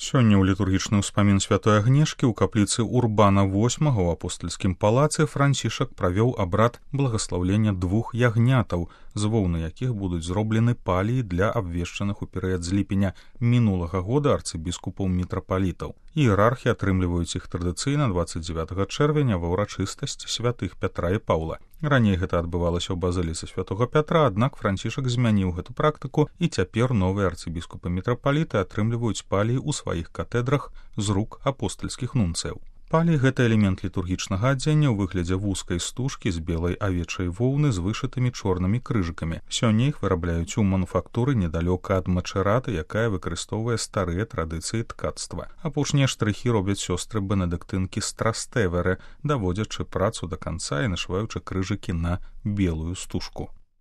Сёння ў літургічны ўспамін святой Агнешкі ў капліцы Урбана VIII ў апостальскім палацы Францішак правёў абрад благаслаўлення 2 ягнятаў, з воўны якіх будуць зроблены паліі для абвешчаных у перыяд з ліпеня мінулага года арцыбіскупаў-мітрапалітаў. Іерархі атрымліваюць іх традыцыйна 29 чэрвеня ва ўрачыстасць святых Пятра і Паўла. Раней гэта адбывалася ў базыліцы святога Пятра, аднак Францішак змяніў гэту практыку, і цяпер новыя арцыбіскупы-мітрапаліты атрымліваюць паліі ў сваіх катэдрах з рук апостальскіх нунцыяў. Палій – гэта элемент літургічнага адзення ў выглядзе вузкай стужкі з белай авечай воўны з вышытымі чорнымі крыжыкамі. Сёння іх вырабляюць у мануфактуры недалёка ад Мачэраты, якая выкарыстоўвае старыя традыцыі ткацтва. Апошнія штрыхі робяць сёстры бенедыктынкі з Трастэверы, даводзячы працу да канца і нашываючы крыжыкі на белую стужку.